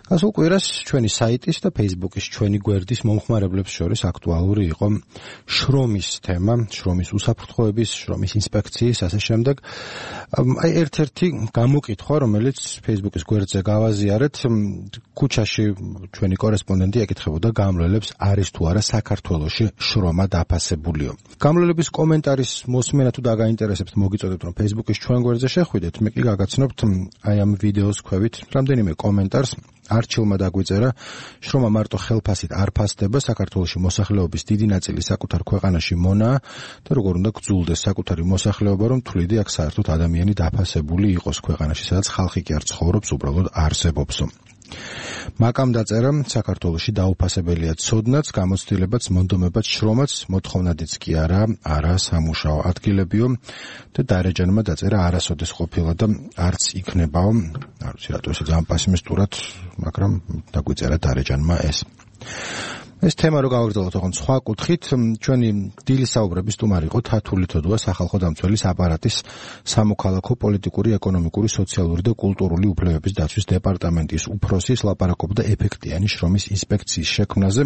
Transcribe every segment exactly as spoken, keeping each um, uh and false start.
გასულ კვირას ჩვენი საიტის და Facebook-ის ჩვენი გვერდის მომხმარებლებს შორის აქტუალური იყო შრომის თემა, შრომის უსაფრთხოების, შრომის ინსპექციის, ასე შემდეგ. აი ერთ-ერთი გამოკითხვა, რომელიც Facebook-ის გვერდზე გავაზიარეთ, ქუჩაში ჩვენი კორესპონდენტი ეკითხებოდა გამლელებს, არის თუ არა საქართველოში შრომა დაფასებულიო. გამლელების კომენტარის მოსმენა თუ დაგაინტერესებთ, მოგიწოდეთ, რომ Facebook-ის ჩვენ გვერდზე შეხვიდეთ, მე კი გაგაცნობთ აი ამ ვიდეოს ქვევით რამდენიმე კომენტარს. არჩილმა დაგვიწერა, შრომა მარტო ხელფასით არ ფასდება, საქართველოში მოსახლეობის დიდი ნაწილი საკუთარ ქვეყანაში მონაა და როგორ უნდა გძულდეს საკუთარი მოსახლეობა, რომ თვლიდი აქ საერთოდ ადამიანი დაფასებული იყოს ქვეყანაში, სადაც ხალხი კი არ ცხოვრობს, უბრალოდ არსებობსო. მაკამ დაწერა, საქართველოში დაუფასებელია ცოდნაც, გამოცდილებაც, მონდომებაც, შრომაც, მოთხოვნადიც კი არა, არა სამუშაო ადგილებიო და დარეჯანმა დაწერა, არასოდეს ყოფილა და არც იქნებაო. არ ვიცი რატო ესე ძალიან პესიმისტურად, მაგრამ დაგვიწერა დარეჯანმა ეს. ეს თემა რო გავაგრძელოთ ოღონდ სხვა კუთხით, ჩვენი დილის საუბრების სტუმარი იყო თათული თოდუა, სახალხო დამცველის აპარატის სამოქალაქო, პოლიტიკური, ეკონომიკური, სოციალური და კულტურული უფლებების დაცვის დეპარტამენტის უფროსის, ლაპარაკობდა ეფექტიანი შრომის ინსპექციის შექმნაზე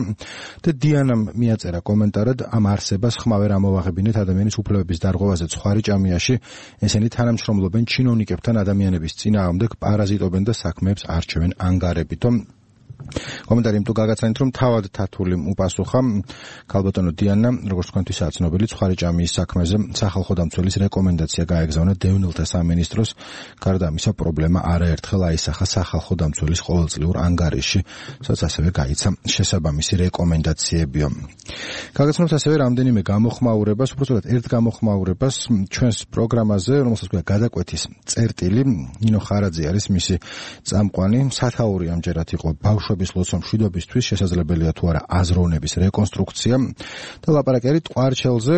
და დიანამ მიაწერა კომენტარად, ამ არსებას ხმავე რა მოვაღებინეთ ადამიანის უფლებების დარღვევაზე ცხარი ჭამიაში, ესენი თანამშრომლობენ ჩინოვნიკებთან, ადამიანების წინააღმდეგ პარაზიტობენ და საქმეებს არჩევენ ანგარებითო. კომენტარი თუ გაგაცანით, რომ თავად თათული უპასუხა ქალბატონო დიანა, როგორც თქვენთვისაც ცნობილი, ცხარი ჭამიის საქმეზე სახალხო დამცველის რეკომენდაცია გაეგზავნა დევნილთა სამინისტროს, გარდა ამისა პრობლემა არაერთხელ აისახა სახალხო დამცველის ყოველწლიურ ანგარიშში, სადაც ასევე გაიცა შესაბამისი რეკომენდაციებიო. გაგაცნობთ ასევე რამდენიმე გამოხმაურებას, უბრალოდ ერთ გამოხმაურებას ჩვენს პროგრამაზე, რომელსაც ქვია გადაკვეთის წერტილი, ნინო ხარაძე არის მისი წამყვანი, სათაური ამჯერად იყო ბავშვების ლოცვა მშვიდობისთვის, შესაძლებელია თუ არა აზროვნების რეკონსტრუქცია და ლაპარაკი არის ტყვარჩელზე,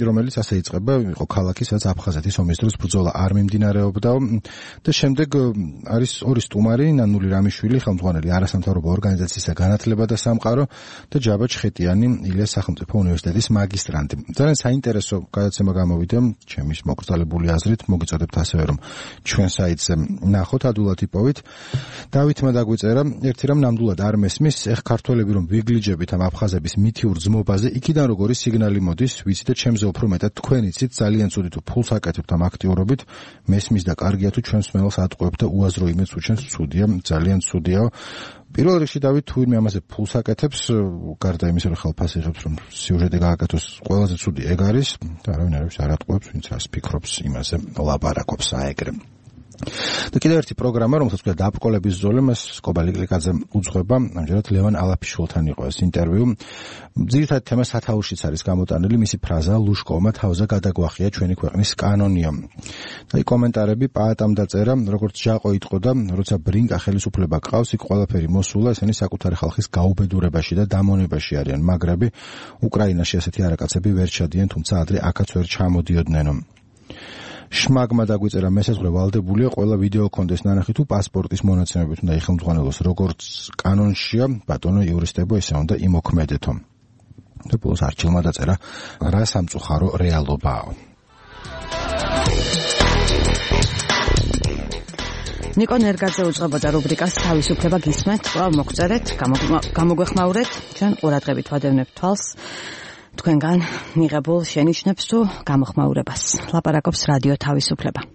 რომელიც ასე იწყება, იყო ქალაქი, სადაც აფხაზეთის ომის დროს ბრძოლა არ მიმდინარეობდა და შემდეგ არის ორი სტუმარი, ნანული რამიშვილი, ხელმძღვანელი არასამთავრობო ორგანიზაციისა განათლება და სამყარო და ჯაბა ჩხეტიანი, ილიას სახელმწიფო უნივერსიტეტის მაგისტრანტი. ძალიან საინტერესო გადაცემა გამოვიდა, ჩემის მოკრძალებული აზრით, მოგიწოდებთ ასევე რომ ჩვენ საიტზე ნახოთ, ადულად იპოვით. დავითმა დაგვიწერა, ერთი რამ ნამდვილად არ მესმის, ეხ ქართველები რომ ვიგლიჯებით ამ აფხაზების მითიურ ძმობაზე, იქიდან როგორი სიგნალი მოდის, ვიცი და ჩემზე უფრო მეტად თქვენ იცით, ძალიან ცუდი თუ ფულს აკეთებთ ამ აქტიურობით, მესმის და კარგია თუ ჩვენს მელს ატყუებთ და უაზრო იმედს უჩენს, ცუდია, ძალიან ცუდიაო. პირველ რიგში დავით თუ ვინმე ამაზე ფულს აკეთებს, გარდა იმისა რომ ხელფასი იღებს, რომ სიუჟეტი გააკეთოს, ყველაზე ცუდი ეგ არის და არავინ არ არის არ ატყუებს, ვინც რას ფიქრობს, იმაზე ლაპარაკობს აეგრე. და კიდევ ერთი პროგრამა, რომელსაც ქვია დაბრკოლების ზოლი, მას სკობა ლიკლიკაძე უძღვება, ამჯერად ლევან ალაფიშვილთან იყო ეს ინტერვიუ. ძირითადი თემა სათაურშიც არის გამოტანილი, მისი ფრაზა ლუშკოვმა თავზე გადაგვახია ჩვენი ქვეყნის კანონიო. და აი კომენტარები პაატამ დაწერა, როგორც ჟაყო იტყოდა, როცა ბრინკა ხელისუფლება ყავს, იქ ყველაფერი მოსულა, ესენი საკუთარი ხალხის გაუბედურებაში და დამონებაში არიან მაგრები. უკრაინაში ასეთი არაკაცები ვერ ჩადიან, თუმცა ადრე აქაც ვერ ჩამოდიოდნენ. შმაგმა დაგვიწერა, მესაზღვრე ვალდებულია, ყველა ვიდეო კონდეს ნანახი თუ პასპორტის მონაცემებით უნდა იხელმძღვანელოს, როგორც კანონშია, ბატონო იურისტებო, ესე უნდა იმოქმედეთო. და ბოლოს არჩილმა დაწერა, რა სამწუხარო რეალობაა. ნიკო ნერგაძე უძღვებოდა რუბრიკას თავისუფლება გისმენთ, კვლავ მოგწერეთ, გამოგვეხმაურეთ, ჩვენ ყურადღებით ვადევნებთ თვალს თქვენგან მიღებულ შენიშვნებს თუ გამოხმაურებას. ლაპარაკობს რადიო თავისუფლება.